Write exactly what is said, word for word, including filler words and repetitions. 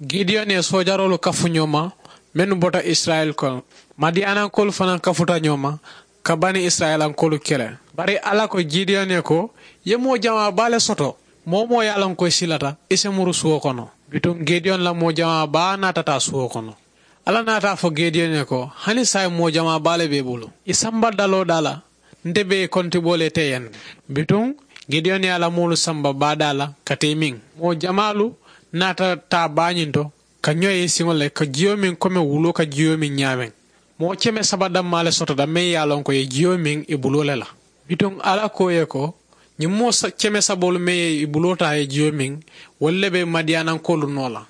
Gidiyoni ye soojaroolu kafu ñoo ma mennu bota isirayila kono, madiyanankoolu fanaŋ kafuta ñoo ma ka bani isirayilankoolu kele. Bari alla ko gidiyoni ye ko, i ye moo jamaa baa le soto. Moo-wo-moo ye a loŋ ko i silata, i si muru suwo kono. Bituŋ gidiyoni la moo jamaa baa naata taa suwo kono. Alla naata a fo gidiyoni ye ko, hani saayiŋ moo jamaa baa le be i bulu, i samba daloo daa la. Nte be i kontiboo le te i ye ne. Bituŋ gidiyoni ye a la moolu samba baa daa la ka te i miŋ. Moo jamaalu naata taa baa ñiŋ to ka ñoo ye i siŋo le ka jiyo miŋ kome wuloo ka jiyo miŋ ñaameŋ. Moo keme saba dammaa le sotota meŋ ye a loŋ ko i ye jiyo miŋ i buloo le la. Bituŋ alla ko i ye ko, ñiŋ moo keme saboolu meŋ ye i buloo taa i ye jiyo miŋ, wolu le be madiyanankoolu noo la.